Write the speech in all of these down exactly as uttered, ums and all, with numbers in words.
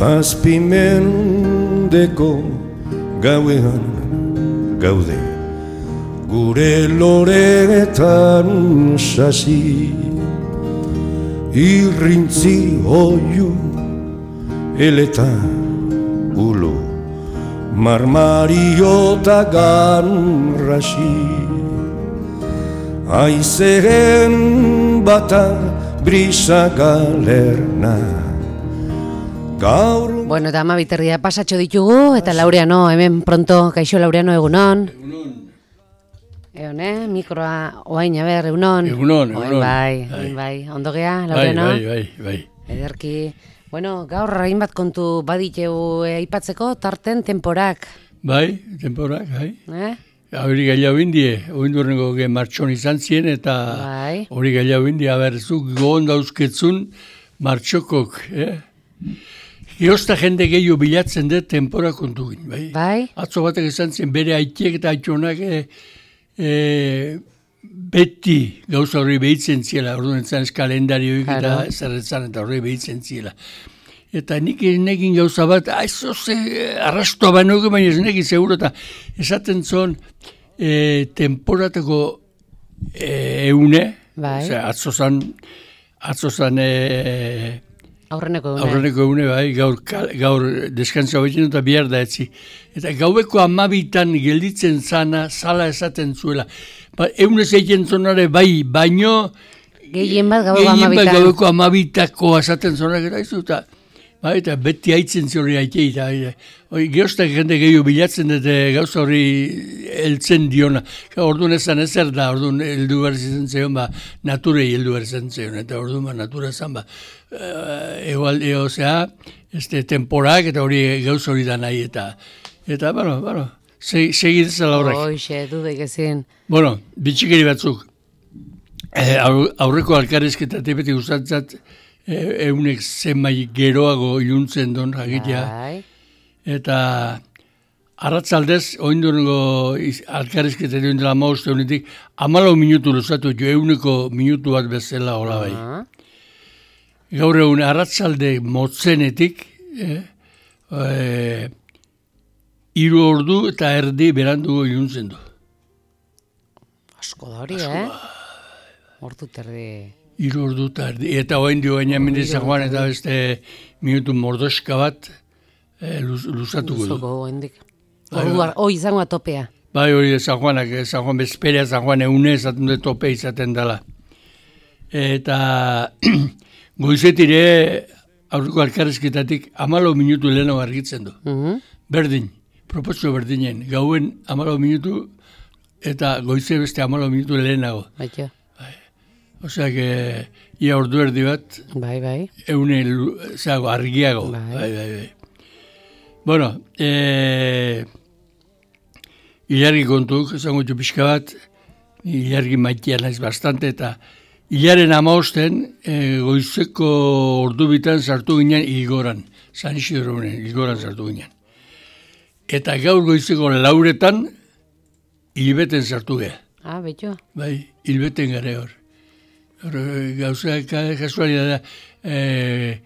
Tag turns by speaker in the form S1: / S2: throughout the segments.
S1: Zazpimendeko gauean gaude, gure loretan sasi, irrintzi oiu eleta ulo, marmariota ganrasi, aizeren bata brisa galerna. Gaur...
S2: Bueno, eta ama biterria pasatxo ditugu, eta Laureano, hemen pronto, kaixo Laureano, egunon.
S3: Egunon.
S2: Egon, eh? Mikroa, oain, aber, egunon.
S3: Egunon, egunon.
S2: Bai, bai, bai. Ondo gea, Laureano?
S3: Bai, bai, bai, bai.
S2: Ederki. Bueno, gaur hainbat kontu baditeu aipatzeko tarten temporak.
S3: Bai, temporak, bai.
S2: Eh?
S3: Hori gailau indie, oindurrengo ge martxon izan zien, eta
S2: bai.
S3: Hori gailau indie, aberzuk gogon dauzketzun martxokok, eh? Giozta jende gehiago bilatzen dut tempora kontugin, bai?
S2: Bai.
S3: Atzo batek izan zen bere aitiek eta aitxonak e, e, beti gauza horri behitzen ziela, orduan etzan ez kalendarioik eta zerretzan eta horri behitzen ziela. Eta nik nekin gauza bat, aizo ze arrastoa bainoke, baina ez nekin seguro, eta esaten zon e, temporateko e, eune,
S2: bai.
S3: Osea, atzo zan, atzo zan e,
S2: Aurreneko egune.
S3: Aurreneko egune, bai, gaur, gaur deskantzua betxen eta bihar da etzi. Eta gaubeko amabitan gelditzen zana, zala esaten zuela. Ba, eunez egiten zonare, bai, baino...
S2: Gehien bat gaubeko amabitan.
S3: Gehien bat gaubeko amabitako esaten zonare, eta izu, eta... Bai, eta beti haitzen zori haitei, eta... Geoztak jende gehiago bilatzen dute gauza hori heltzen diona. Orduan ezan ezer da, orduan heldu behar izan zion, ba, naturei heldu behar izan zion, eta orduan ba, natura ezan, ba, egual, eozea, este, temporak, eta hori gauza hori da nahi, eta, eta, bueno, bueno, segidezala horrek.
S2: Hoxe, dudek ezin.
S3: Bueno, bitxikeri batzuk, eh, aurreko alkarezketatik beti gustatzat, eh, eunek zenbait geroago iluntzen don, jakitea,
S2: Bai.
S3: eta arratzaldez, oindurrengo alkarrizketa duen dela mauzte honetik, amalau minutu luzatu jo, euneko minutu bat bezala hola bai. Gaur egun arratzalde motzenetik, eh, eh, iru ordu eta erdi berandugo iluntzen du.
S2: Asko da hori, eh? Ordu terdi...
S3: Iru ordu eta erdi. Eta hoen dio gaina mendizan joan eta beste minutu mordoska bat, Eh, luz, luzatuko du.
S2: Hendik. Hoi izango atopea.
S3: Bai, hori San Juanak, San Juan bezperea, San Juan eune esaten dut tope izaten dela. Eta goizetire aurreko alkarrezketatik amalo minutu lehenago argitzen du.
S2: Uh-huh.
S3: Berdin, proportzio berdinen. Gauen amalo minutu eta goize beste amalo minutu lehenago.
S2: Baito.
S3: Bai. Osea, que ia ordu erdi bat,
S2: bai, bai.
S3: Eune zago, argiago.
S2: Bai,
S3: bai, bai. bai. Bueno, eh, ilargi kontuk, esango txu pixka bat, ilargi maitea naiz bastante, eta ilaren amaosten eh, goizeko ordu bitan sartu ginen Ilgoran, San Isidronen, Ilgoran sartu ginen. Eta gaur goizeko lauretan hilbeten sartu geha.
S2: Ah, betxo.
S3: Bai, hilbeten gare hor. Hor, gauza, kasualidad da, eh,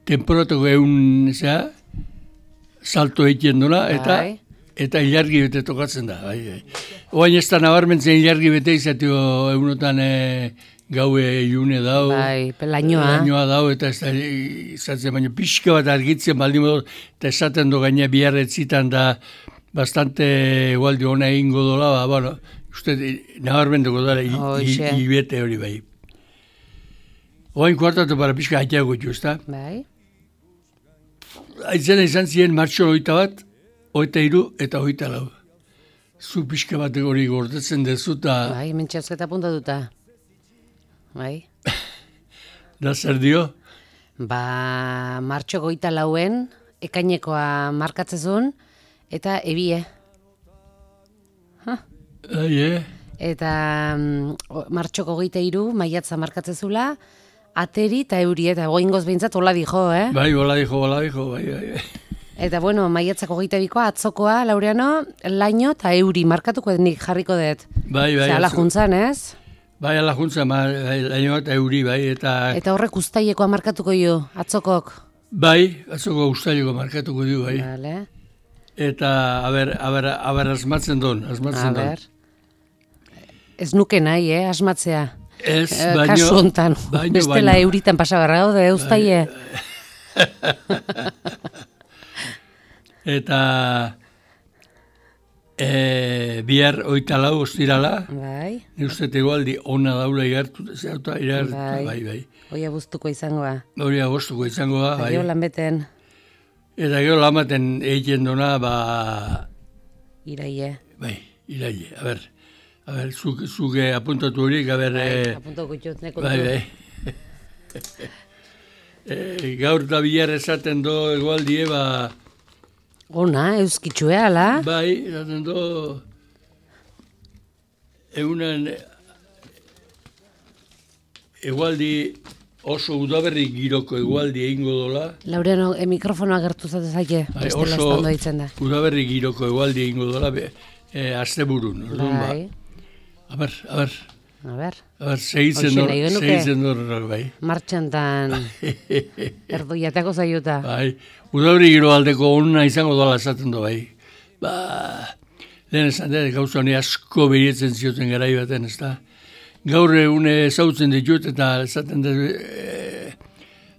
S3: temporatoko egun, zera, salto egiten duna, eta
S2: bai.
S3: Eta ilargi bete tokatzen da. Bai, bai. Oain ez da nabarmentzen ilargi bete izatio egunotan e, gaue ilune dau.
S2: Bai, lainoa.
S3: Lainoa dau, eta ez da izatzen, baina pixka bat argitzen baldin modu, eta esaten do gaina biharretzitan da bastante igualdi hona egingo dola, ba, bueno, uste nabarmentuko dara hilbete hori bai. Oain kuartatu para pixka haiteago itxu, ez da?
S2: Bai.
S3: Aitzena izan ziren martxo oita bat, oita iru eta oita lau. Zu pixka bat hori gordetzen dezu eta...
S2: Bai, mentxazketa puntatuta. Bai.
S3: Da zer dio?
S2: Ba, martxo goita lauen, ekainekoa markatzezun, eta ebie. Ha?
S3: Ai, eh?
S2: Eta mm, martxoko goita iru, maiatza markatzezula, ateri eta euri, eta goingoz behintzat hola dijo, eh?
S3: Bai, hola dijo, hola dijo, bai, bai, bai.
S2: Eta bueno, maiatzako goita bikoa, atzokoa, Laureano, laino eta euri markatuko nik jarriko dut.
S3: Bai, bai.
S2: Zer, ala juntzan, ez?
S3: Bai, ala juntzan, bai, laino eta euri, bai, eta...
S2: Eta horrek ustaiekoa markatuko jo, atzokok.
S3: Bai, atzoko ustaileko markatuko du, bai.
S2: Vale.
S3: Eta, aber, aber, aber asmatzen don, asmatzen don.
S2: Ez nuke nahi, eh, asmatzea.
S3: Ez,
S2: Eh,
S3: baino...
S2: Kasu hontan,
S3: baino,
S2: bestela
S3: baino.
S2: euritan pasabarra gaude, eustaie.
S3: Eta e, bihar oita lau ostirala,
S2: Bai,
S3: ni uste egualdi ona daula igartu, zertu igartu,
S2: Bai.
S3: bai, bai.
S2: hoi abuztuko izangoa.
S3: Hori agostuko izango da,
S2: Eta
S3: bai.
S2: gero lanbeten
S3: Eta gero lamaten egiten dona, ba,
S2: iraie.
S3: bai, iraile, a ber, a ber, zuke, zuke apuntatu horiek, a ber,
S2: Bai,
S3: e,
S2: apuntoko itxot, neko
S3: bai, bai. e, gaur da bihar esaten do egualdie, ba,
S2: Ona, euskitxue, ala?
S3: bai, esaten do, egunen, egualdi oso udaberri giroko egualdi egingo dola,
S2: Laureano, e, mikrofonoa gertu zate zaike,
S3: bai,
S2: bestela
S3: oso
S2: estando ditzen da.
S3: udaberri giroko egualdi egingo dola, be, e, asteburun, orduan, ba.
S2: Bai,
S3: A ber, a ber,
S2: a ber,
S3: a ber, segitzen
S2: Hoxe
S3: dor,
S2: nahi genuke.
S3: segitzen dor, bai.
S2: martxantan erdoiatako zaiuta.
S3: Bai, udabri giro aldeko onna izango dola esaten do, bai. Ba, lehen esan dut, gauza honi asko behietzen zioten garai baten, ez da. Gaur une ezautzen ditut eta esaten dut, e,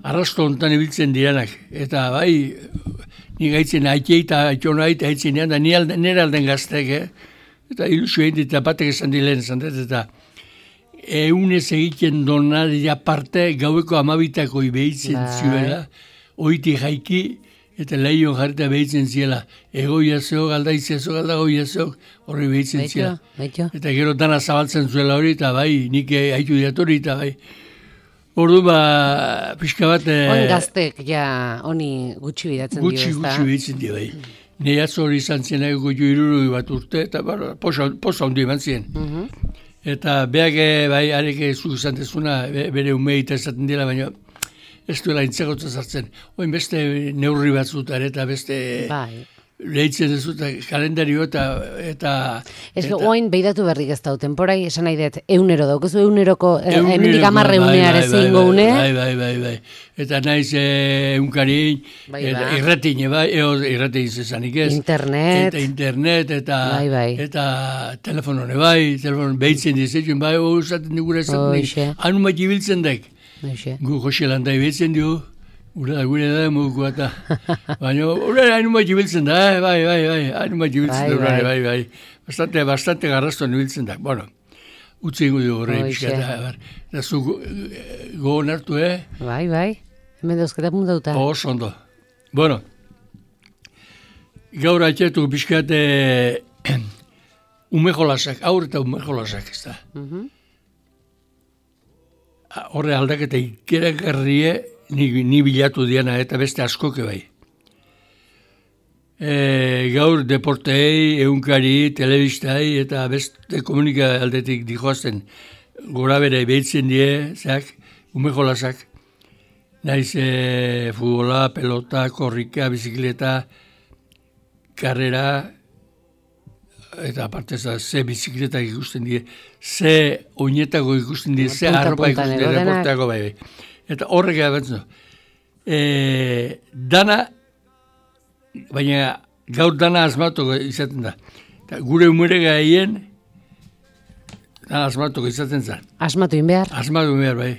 S3: arrasto hontan ibiltzen direnak. Eta bai, ni gaitzen aitei eta aitona aita aitzen da, ni alde, nire alden gaztek, eh? Eta ilusio egin dit, eta batek esan dilen esan dut, eta eunez egiten donaria parte gaueko amabitako behitzen
S2: Bai.
S3: zuela, oiti jaiki, eta lehion jarrita behitzen ziela. Egoia zeok, aldaizia zeok, aldagoia zeok, horri behitzen
S2: Baito,
S3: ziela.
S2: baito.
S3: Eta gero dana zabaltzen zuela hori, eta bai, nik haitu diatori, eta bai. Ordu ba, pixka bat... eh,
S2: Oin gaztek, ja, honi gutxi bidatzen dio,
S3: Gutxi,
S2: ez da?
S3: gutxi behitzen dira, bai. Nei atzo hori izan zien egoko irurui bat urte, eta bara, posa, posa hondi eman zien.
S2: Mhm.
S3: Eta beak, eh, bai, arek zu izan dezuna, be- bere umeita esaten dira, baina ez duela intzegotza sartzen. Oin beste neurri batzutan, eta beste
S2: Bai.
S3: lehitzen ez dut, kalendario eta... eta
S2: Ez
S3: eta-
S2: oin beidatu berrik ez dau, temporai esan nahi dut, eunero daukezu euneroko, eh,
S3: Eguneroko,
S2: hemendik amarre
S3: bai,
S2: uneare
S3: bai,
S2: zeingo
S3: bai,
S2: une,
S3: Bai, bai, bai, bai. Eta naiz eh, eunkarin,
S2: Bai,
S3: eta
S2: bai.
S3: irratine, bai, eo irratine zezanik ez.
S2: Internet.
S3: Eta internet, eta,
S2: Bai, bai.
S3: eta telefonone bai, telefon behitzen dizetzen, bai, hau esaten digura esaten
S2: Hoxe.
S3: dik. Anu mat ibiltzen dek.
S2: Hoxe.
S3: Gu Jose Landai behitzen dio, gure da, gure da, muguko eta. Baina, hori anu mat ibiltzen da, eh, bai, bai, bai, anu mat ibiltzen
S2: Bai,
S3: da, bai,
S2: bai.
S3: bai, bai. Bastante, bastante garrastuan ibiltzen da. Bueno, utzi ingo dio horre,
S2: Hoxe.
S3: pixka eta, bar. Eta zu go- eh, gogon hartu, eh?
S2: Bai, bai, hemen dauzketa puntauta.
S3: Oso ondo. Bueno, gaur atxetu pixkat eh, ume jolasak, aur eta ume jolasak, ez da.
S2: Mhm.
S3: Horre aldaketa ikeragarrie ni, ni bilatu diana eta beste askoke bai. E, gaur deportei, eunkari, telebistai eta beste komunika aldetik dijoazten gora bere behitzen die, zeak, ume jolasak. Naiz e, futbola, pelota, korrika, bizikleta, karrera, eta aparte za, ze bizikletak ikusten die, ze oinetako ikusten die, ze
S2: Punta,
S3: arropa
S2: puntan
S3: ikusten die,
S2: edo denak.
S3: deporteako bai, bai. Eta horrek ebatzen du. E, dana, baina gaur dana asmatuko izaten da. Eta gure umere gaien, dana asmatuko izaten zen.
S2: Asmatu in behar.
S3: Asmatu behar bai.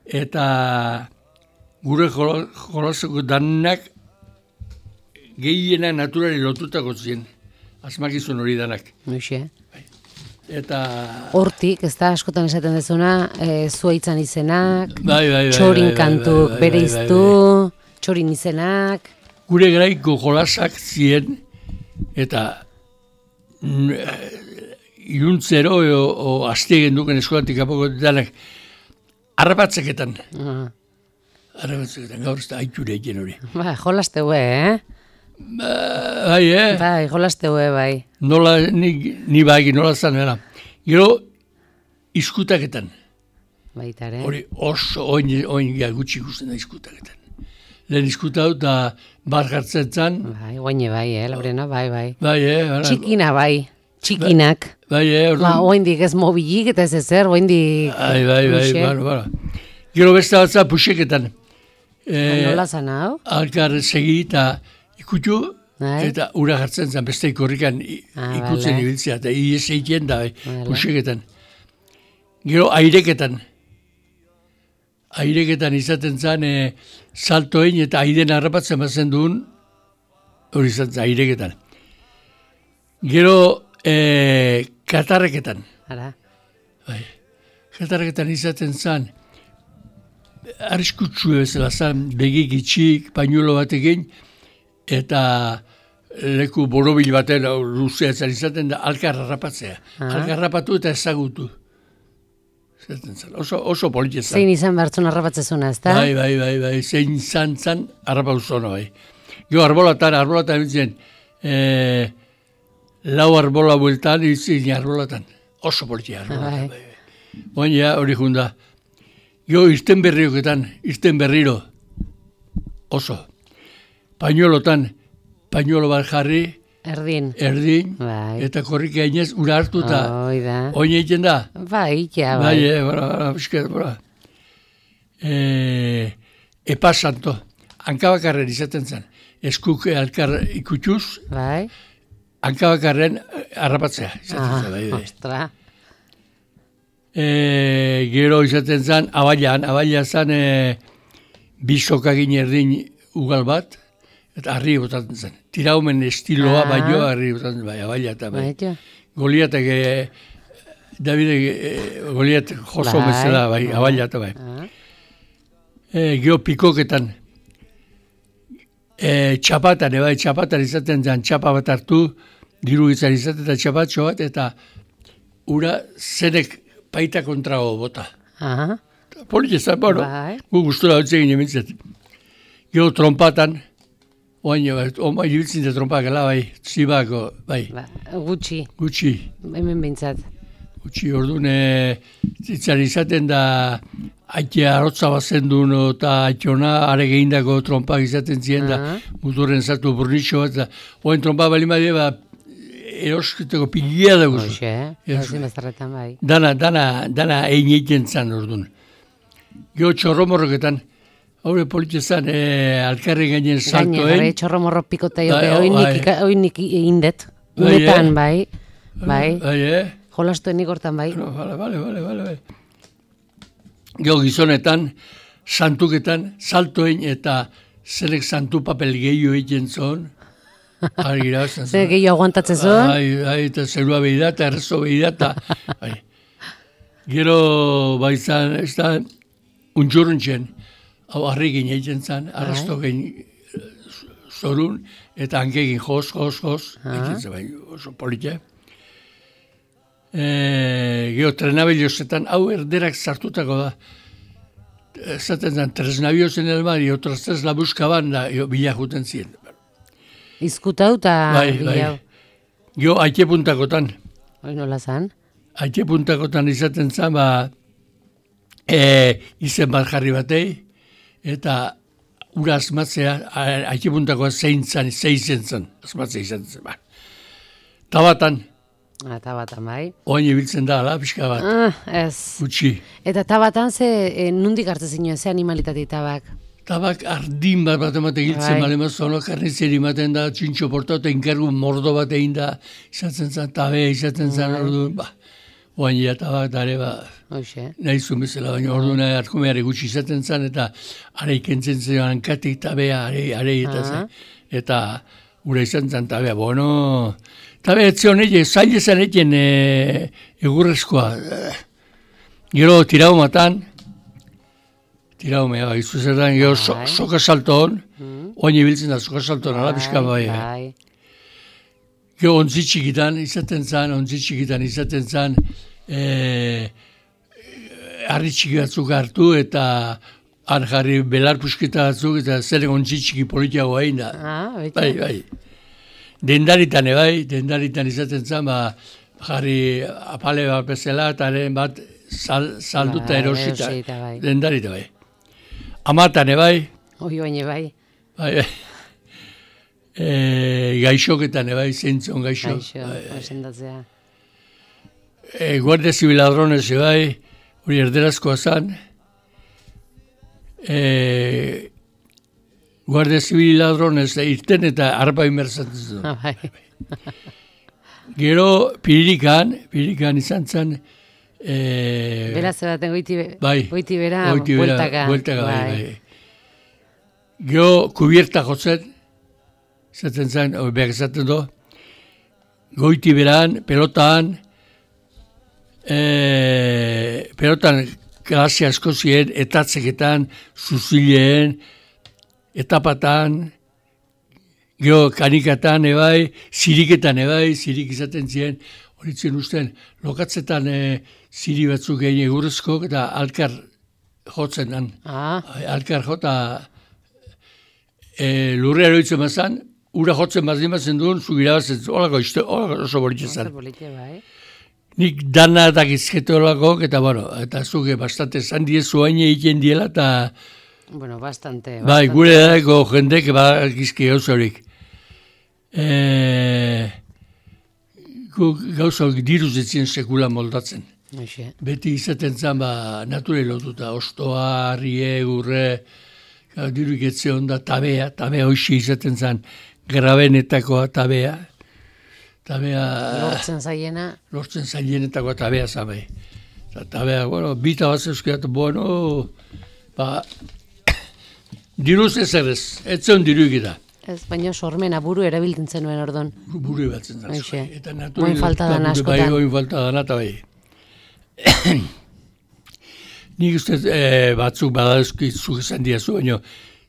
S3: Eta gure jolo- jolaseko danak gehiena naturari lotutako ziren. Asmakizun hori danak.
S2: Hoxe.
S3: Eta...
S2: Hortik, ez da, askotan esaten dezuna, e, zuaitzan izenak,
S3: Bai, bai, bai,
S2: txorin
S3: bai, bai,
S2: kantuk
S3: bai, bai,
S2: bere
S3: bai,
S2: iztu, txorin izenak,
S3: Gure garaiko jolasak ziren, eta mm, eh, iluntzero o, o aztegen duken eskolatik apoko danak, harrapatzeketan.
S2: ah,
S3: Harrapatzeketan, gaur ez da aiture egin hori.
S2: ba, jolasteue, eh?
S3: Ba, bai, eh?
S2: Bai, jolasteue, bai.
S3: Nola, ni, ni bai, nola zan, bera. Gero, izkutaketan.
S2: Baita, ere.
S3: Hori oso oin, oin ja, gutxi ikusten da izkutaketan. Lehen izkuta dut, eta bar jartzen zan.
S2: Bai, guaine bai, eh, Laurena, bai, bai.
S3: Bai, eh? Bara,
S2: Txikina, bai, txikinak.
S3: bai, eh?
S2: Ba,
S3: Orduan,
S2: oindik ez mobilik eta ez ezer, oindik...
S3: bai, bai, bai,
S2: Hoxe.
S3: bara, bara. Gero beste batza puxeketan. E,
S2: Nola zan hau?
S3: Alkar segi eta ikutu,
S2: Bai.
S3: eta ura jartzen zen, beste korrikan i-
S2: Ah,
S3: ikutzen
S2: bale.
S3: ibiltzea, eta ies egiten da, bai,
S2: Bale.
S3: puseketan. Gero aireketan. Aireketan izaten zen, e, saltoin eta aiden harrapatzen bazen duen, hori izaten aireketan. Gero e, katarreketan.
S2: Ara.
S3: Bai. Katarreketan izaten zen, arriskutsu bezala zen, begik itxik, pañuelo batekin, eta leku borobil baten hau, luzea zen izaten da, alkar harrapatzea.
S2: Ah.
S3: Alkar harrapatu eta ezagutu. Izaten zen, oso, oso politia zen.
S2: Zein izan behartzun arrapatzezuna, ez da?
S3: Bai, bai, bai, bai, zein izan zen, harrapatu zona, bai. Gero arbolatan, arbolatan bintzen, e, lau arbola bueltan, izin arbolatan. Oso politia arbolatan,
S2: Bai.
S3: bai, bai. Oin ja, hori junda. Gero irten berrioketan, irten berriro, oso. Pañuelotan, pañuelo bat jarri,
S2: Erdin.
S3: erdin,
S2: Bai.
S3: eta korrika inez, ura hartu eta
S2: Hoi da.
S3: oin egiten da.
S2: Bai, ja,
S3: Bai,
S2: bai.
S3: eh, bora, bora, pixkat, bora. E, epa santo, hankabakarren izaten zen. Eskuk alkar ikutuz,
S2: Bai.
S3: hankabakarren harrapatzea. Izaten
S2: Ah,
S3: zen, bai, bai.
S2: ostra.
S3: E, gero izaten zen, abailan, abaila zen e, bisokagin erdin ugal bat, eta harri botatzen zen. Tiraumen estiloa
S2: Ah.
S3: baino harri botatzen zen, bai, abaila eta bai.
S2: Bai, ja.
S3: Goliatek, e, Davide, e, Goliat joso
S2: Bai.
S3: bezala, bai, abaila eta bai.
S2: Ah.
S3: E, gero pikoketan, e, txapatan, e, bai, txapatan izaten zen, txapa bat hartu, diru izan izaten eta txapatxo bat, eta ura zenek paita kontrago bota.
S2: Aha.
S3: Politia zen, bueno,
S2: Bai.
S3: gu gustura hau egin emintzet. Gero trompatan, oain, bai, oma ibiltzen da trompak, gela, bai, zibako, bai,
S2: Ba, gutxi,
S3: gutxi,
S2: hemen bintzat.
S3: gutxi, orduan, e, zitzan izaten da, aite arotza bazen duen, eta aitona, are gehindako trompak izaten ziren da,
S2: Ah.
S3: muturren zartu burnitxo bat, eta oain trompak bali madie, ba, erosketeko pilia dagozu.
S2: Hoxe, eh?
S3: Ez.
S2: Ezin bezarretan, bai.
S3: Dana, dana, dana egin egiten zan orduan. Gero txorromorroketan, haure politia zan, e, alkarri gainen
S2: Gaine,
S3: saltoen.
S2: gare, txorro morro pikota
S3: Bai,
S2: jote,
S3: oh,
S2: oin
S3: bai.
S2: nik, oin nik indet.
S3: Bai,
S2: Unetan,
S3: eh?
S2: bai. Bai.
S3: Bai, eh?
S2: Jolastuen nik hortan, bai.
S3: No, bale, bale, bale, bale, bale. Gero gizonetan, santuketan, saltoen eta zelek santu papel gehiago egiten zon. Argi irabazten
S2: Zer
S3: zuen.
S2: gehiago aguantatzen zuen?
S3: Bai, bai, eta zerua behi da, eta errezo behi da, eta... Bai. Gero, bai zan, ez da, untxurruntzen, hau harrikin egiten zan, arrasto gen zorun, eta hankegin jos, jos, jos,
S2: Ah.
S3: egiten zan, bai, oso politia. E, gero, trenabiliozetan, hau erderak sartutako da. Esaten zan, tres nabiozen elmar, y otras tres la buscaban, da, jo, bila juten ziren.
S2: Izkutau eta...
S3: Bai, bai.
S2: bilau.
S3: Gero, aite puntakotan.
S2: Hoi nola zan?
S3: Aite puntakotan izaten zan, ba, e, izen bat jarri batei, eta ura asmatzea, a- aite puntakoa zein zan, zein zen zan, asmatzea izaten zen, ba. Tabatan,
S2: Eta batan, bai.
S3: oain ibiltzen da, ala, pixka bat,
S2: Ah, ez.
S3: gutxi.
S2: Eta tabatan ze, e, nundik hartzen zinuen, ze animalitate tabak?
S3: Tabak ardin bat bat ematen giltzen,
S2: Bai.
S3: bale mazono, karnizieri ematen da, txintxo portatu, inkargu mordo bat egin da, izaten zan, tabe, izaten zan,
S2: Bai.
S3: orduan, ba, oain ja tabak, dare, ba,
S2: Hoxe.
S3: nahi zuen bezala, baina orduan arkumeare gutxi izaten zen, eta are ikentzen zen hankatik tabea, are, are, eta,
S2: Ah.
S3: zen, eta ura izan zen tabea, bueno, tabea etzion egin, zail ezan egin e, egurrezkoa. Eh, Gero tirau matan, tirau mea, bai, zuzertan, gero so,
S2: Bai.
S3: soka salton,
S2: Mm.
S3: oain ibiltzen da soka salton, ala pixka bai. bai.
S2: Bai.
S3: Gero ontzi txikitan izaten zan, ontzi txikitan izaten zan, e, harri txiki batzuk hartu eta han jarri belar pusketa batzuk eta zer ontzi txiki politiago egin da.
S2: Ah, beti.
S3: Bai, bai. Dendaritan bai, dendaritan izaten zan, ba, jarri apale bat bezala eta haren bat sal, salduta
S2: Bai,
S3: erosita.
S2: erosita, bai.
S3: Dendarita bai. Amatan bai,
S2: Hoi baina bai.
S3: bai, bai. E, gaixoketan bai, zeintzon gaixo.
S2: Gaixo,
S3: Bai, bai.
S2: osendatzea.
S3: E, Guardia Zibil ladrones bai, hori erderazkoa zan. E, Guardia Zibil ladronez irten eta arpa inmerzatzen
S2: Ah, bai.
S3: Gero Piririkan, Piririkan izan zen, e,
S2: Bera zebaten goiti, be,
S3: bai,
S2: goiti bera,
S3: goiti bera,
S2: bueltaka.
S3: bueltaka, bai, bai. Gero kubierta jotzen, izaten zen, hori behar izaten do, goiti beran, pelotan, e, pelotan klase asko ziren, etatzeketan, zuzileen, etapatan, gero kanikatan ebai, ziriketan ebai, zirik izaten ziren, horitzen usten, lokatzetan e, ziri batzuk egin egurrezko, eta alkar jotzen dan.
S2: Ah,
S3: Alkar jota e, lurre eroitzen mazan, ura jotzen mazin mazen duen, zugira bazen, holako izte, holako oso bolitxe
S2: oso
S3: zan.
S2: polite, bai.
S3: Nik dana eta gizkete holako, eta bueno, eta zuge bastante zan diezu hain egiten diela, eta
S2: Bueno, bastante.
S3: bai,
S2: bastante.
S3: gure edako jendek ba, gizki gauza horik. E, gauza horik diruz etzien sekula moldatzen.
S2: Hoxe.
S3: Beti izaten zen, ba, nature lotuta, ostoa, harrie, gurre, diru iketze onda, tabea, tabea hoxe izaten zen, grabenetakoa tabea, tabea,
S2: Lortzen zaiena,
S3: lortzen zailenetakoa tabea zabe. Eta tabea, bueno, bita bat zeuzkiat, bueno, ba, diruz ez errez, ez zen diru ikita.
S2: ez baino sormena buru erabiltzen zenuen ordon.
S3: Buru batzen da.
S2: Hoxe.
S3: Eta nature
S2: Oin falta dana
S3: lotuta, bai,
S2: askotan.
S3: oin falta dana, eta bai. Nik uste e, batzuk badazki zuk esan diazu, baina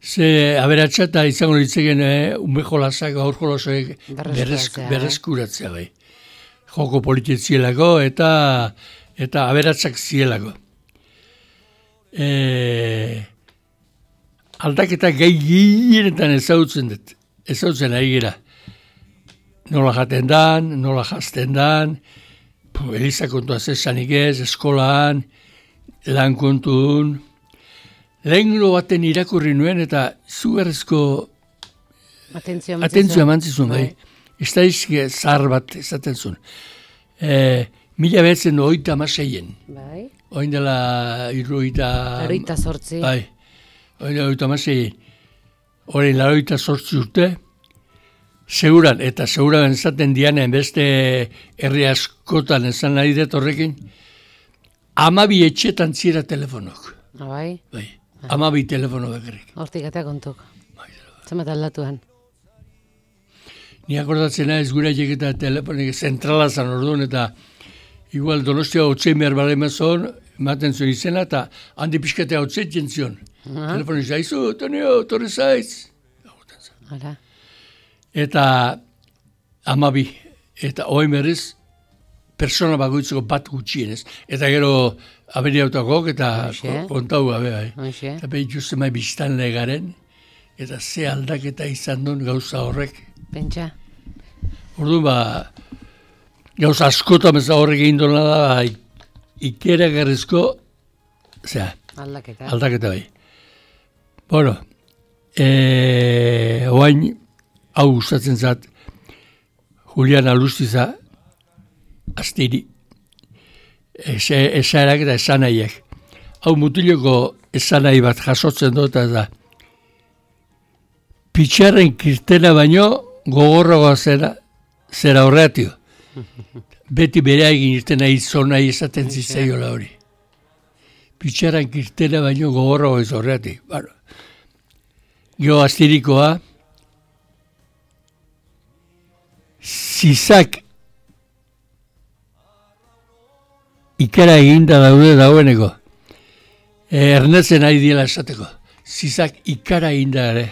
S3: ze aberatsa eta izango ditzegen e, ume jolasak, aur jolasak
S2: Berreskuratzea, eh?
S3: berreskuratzea bai. Joko politik zielako eta eta aberatsak zielako. E, aldaketa gai gehienetan ezagutzen dut, ezagutzen ari gira. Nola jaten dan, nola jazten dan, pu, Eliza kontua zesanik ez, eskolaan, lan kontun. Lehenglo baten irakurri nuen eta zugarrezko
S2: Atentzio
S3: atentzioa emantzizun, bai. Estadizke zahar bat esaten zuen. E, mila behatzen oita amaseien.
S2: Bai.
S3: Oin dela irroita...
S2: Laroita sortzi.
S3: Bai, oin dela oita amaseien. Horein laroita sortzi urte. Seguran, eta seguran esaten dianen beste herri askotan esan nahi dut horrekin, amabi etxetan zira telefonok.
S2: Ah, bai.
S3: Bai, amabi telefono bakarrik.
S2: Hortik atea kontuk. Zenbat aldatuan.
S3: Ni akordatzen naiz gure eta telefonik zentrala zan orduan, eta igual Donostia hotzein behar bale mazon, ematen zuen izena, eta handi pixkatea hotzeiten zion.
S2: Ah.
S3: Telefonik zaizu, Tonio, torre zaiz.
S2: Hala.
S3: Eta amabi, eta oin berriz, persona bakoitzeko bat gutxienez. Eta gero aberiautakok eta
S2: Hoxe.
S3: kontau gabe bai.
S2: Hoxe.
S3: Eta behitu zemai biztan legaren, eta ze aldaketa izan duen gauza horrek.
S2: Pentsa.
S3: Orduan ba, gauza askotan ez horrek egin duena da, ba, ikera garrizko, zera,
S2: Aldaketa.
S3: aldaketa bai. Bueno, e, oain, hau gustatzen zat, Julian Alustiza, astiri, esaerak eta esanaiak. Hau mutiloko esanai bat jasotzen dut, eta da, pitxarren kirtena baino gogorragoa zera, zera horretio. Beti bere egin irtena izona izaten zitzaiola hori. Pitxarren kirtena baino gogorragoa ez horretik. Bueno, gero astirikoa, zizak ikara eginda daude daueneko. E, ernetzen ari diela esateko. Zizak ikara eginda ere.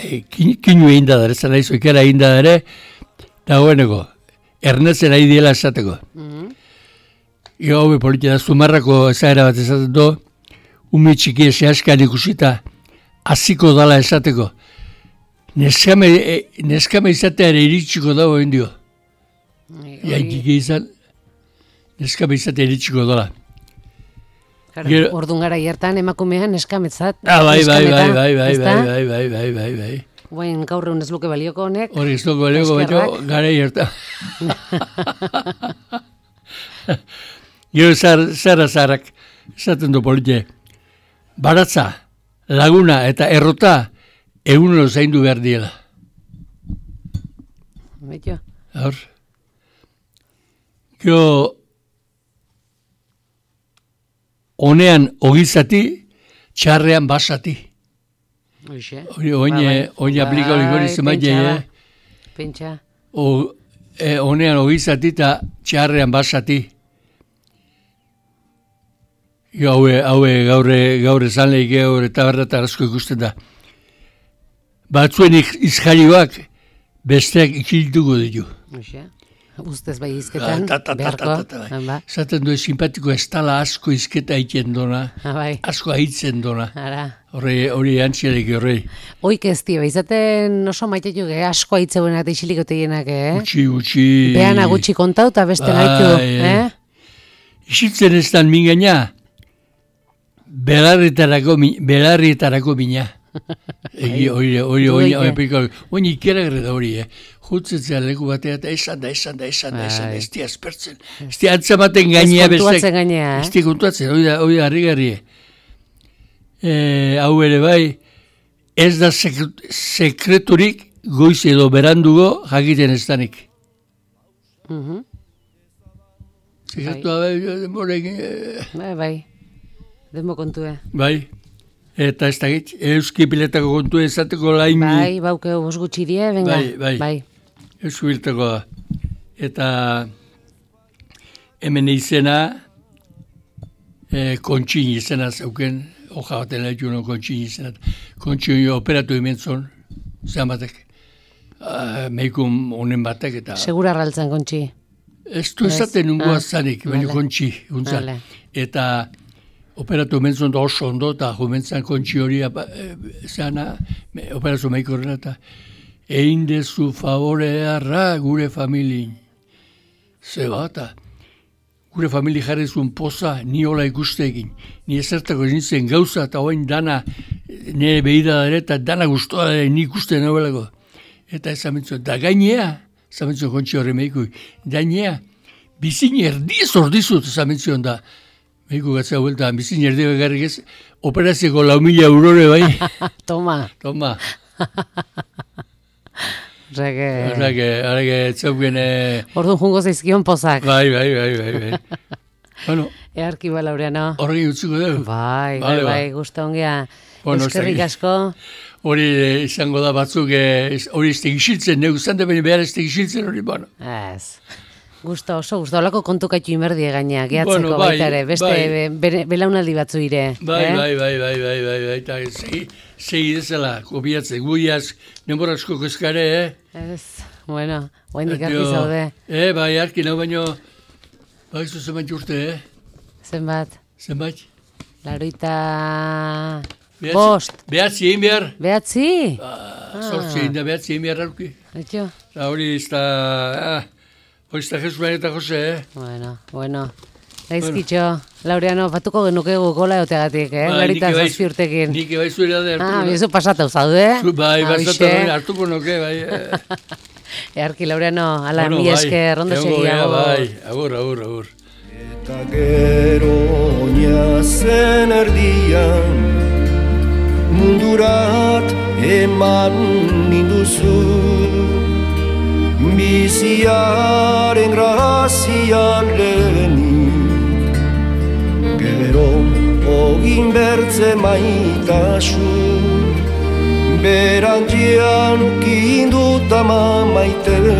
S3: E, kin, kinu eginda da, ez nahizu ikara eginda ere daueneko. Ernetzen ari diela esateko.
S2: Mhm.
S3: Ego hau politia da, Zumarrako ezaera bat esaten du, ume txiki esaskan ikusita hasiko dala esateko. Neskame, e, neskame izatea ere iritsiko dago egin dio. Jaikiki izan, neskame izatea iritsiko dela. Gero-
S2: Ordun gara hiertan emakumean eskametzat.
S3: Ah, bai, bai, bai,
S2: neskameta,
S3: bai, bai,
S2: ezta?
S3: bai, bai, bai, bai, bai, bai.
S2: Guain gaur egun ez luke balioko honek.
S3: Hori ez dugu balioko baino,
S2: Eskerrak.
S3: gara hierta. Gero zara zarak, esaten du politie, baratza, laguna eta errota egunero zaindu behar diela.
S2: Betio.
S3: Hor. Gero, honean ogizati, txarrean basati.
S2: Hoxe.
S3: Hori, oin aplika hori gori zemaile,
S2: Pentsa.
S3: Honean ogizati eta txarrean basati. Haue, haue gaurre, gaurre zanleik gaur eta berrata asko ikusten da. Batzuen izjarioak besteak ikiltuko ditu.
S2: Hoxe. Ustez bai izketan, beharko.
S3: Zaten du, simpatiko ez tala asko izketa egiten dona, asko haitzen dona. Hori antziarek horrei.
S2: Oik ez dio, izaten oso maitetu ge, asko haitzeuenak eta isiliko tegienak, eh?
S3: Gutxi, gutxi.
S2: Beana gutxi kontau eta beste gaitu, eh?
S3: Isitzen ez dan mingaina, belarrietarako mina. Egi, hori, hori, hori, hori, hori, ikera gre da hori, eh? Jutzetzea leku batea eta esan da, esan da, esan da, esan da, ez di aspertzen, ez di antzamaten gainea bestek. Ez kontuatzen gainea, eh? Ez di kontuatzen, hori da, hori da, harri-garri. Hau ere bai, ez da sekreturik goiz edo berandugo jakiten ez danik. Sekretua bai, denborekin.
S2: Bai, bai, denbo kontue.
S3: Bai. Eta ez dakit, euski piletako kontu ezateko lain...
S2: Bai, baukeu, bos gutxi die, venga.
S3: Bai, bai, bai. Euski piletako da. Eta hemen izena, e, kontxin izena zauken, hoja baten lehitu no kontxin izena. Kontxin operatu imentzon, zean batek. Uh, Meikun honen batek eta...
S2: Segura raltzen kontxi.
S3: Ez du ezaten nungoa zanik, baina kontxi, guntzan. Eta... Operatu mentzon da oso ondo, eta jumentzan kontxi hori zeana, operazio maiko horrela, eta egin dezu favorearra gure familin. Zeba, eta gure famili jarrezun poza, ni hola ikustekin. Ni ezertako nintzen gauza, eta hoin dana, nire behida dara, eta dana guztua dara, ni ikusten nobelako. Eta ez amentzun, da gainea, ez amentzun kontxi horre maiko, gainea, bizin erdiz ordizut, ez amentzun da, Meiko gatzea vuelta, bizin erdi begarrik ez, operazioko lau mila eurore bai.
S2: Toma.
S3: Toma.
S2: Rege...
S3: Rege, rege, txauken...
S2: Orduan jungo zaizkion pozak.
S3: Bai, bai, bai, bai, bai. Bueno.
S2: Earki ba, Laureano.
S3: Horregi utziko dugu.
S2: Bai, bai, bai, guzta ongea.
S3: Bueno,
S2: eskerrik asko.
S3: Hori izango da batzuk, hori ez tegixiltzen, neu zante beni behar ez tegixiltzen hori, bueno.
S2: Ez. Gusto, oso gusto, holako kontukaitu inberdie gaina, gehatzeko
S3: bueno, bai,
S2: baita ere, beste
S3: bai.
S2: be, belaunaldi batzu ire.
S3: Bai,
S2: eh?
S3: bai, bai, bai, bai, bai, bai, eta segi dezela, kopiatzen, guiaz, nenborazko kezkare, eh?
S2: Ez, bueno, guain dikarki zaude.
S3: Eh, bai, arki nau baino, bai, zu zenbait urte, eh?
S2: Zenbat?
S3: Zenbait?
S2: Laroita... Bost.
S3: Behatzi egin behar?
S2: Behatzi?
S3: Ah, sortzi egin da, behatzi egin behar aurki.
S2: Etxo?
S3: Hori ez da... Ah, hori ez da Jesu eta Jose, eh?
S2: Bueno, bueno. Gaizkitxo, bueno. Laureano, batuko genukegu gola eoteagatik, eh?
S3: Ba,
S2: Larita zazpi urtekin.
S3: Nik eba izu da hartuko.
S2: Ah, bizu pasatau zaude, eh?
S3: Bai, pasatau hartuko nuke, bai.
S2: Earki, Laureano, ala bueno, mi eske, rondo segiago.
S3: Bai, agur, agur, agur.
S1: Eta gero oinazen erdian mundurat eman ninduzu biziaren grazian lehenik gero ogin bertze maitasu berantzian kinduta maite